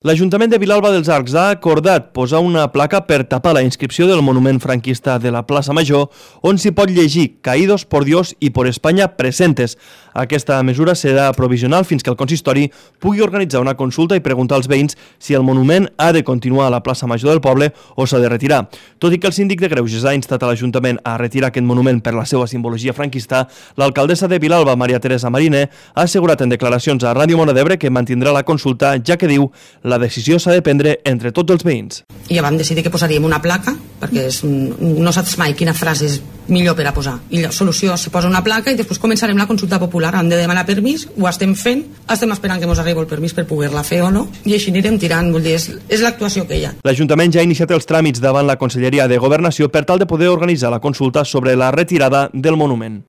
L'Ajuntament de Vilalba dels Arcs ha acordat posar una placa per tapar la inscripció del monument franquista de la plaça Major, on s'hi pot llegir «Caídos por Dios y por España presentes». Aquesta mesura serà provisional fins que el consistori pugui organitzar una consulta i preguntar als veïns si el monument ha de continuar a la plaça Major del poble o s'ha de retirar. Tot i que el síndic de Greuges ha instat a l'Ajuntament a retirar aquest monument per la seva simbologia franquista, l'alcaldessa de Vilalba, Maria Teresa Mariner, ha assegurat en declaracions a Ràdio Mona d'Ebre que mantindrà la consulta, ja que diu la decisió s'ha de prendre entre tots els veïns. I ja vam decidir que posaríem una placa, perquè no saps mai quina frase és millor per a posar. I la solució, se posa una placa i després començarem la consulta popular. Hem de demanar permís, ho estem fent, estem esperant que ens arribi el permís per poder-la fer o no, i així anirem tirant, vull dir, és l'actuació que hi ha. L'Ajuntament ja ha iniciat els tràmits davant la Conselleria de Governació per tal de poder organitzar la consulta sobre la retirada del monument.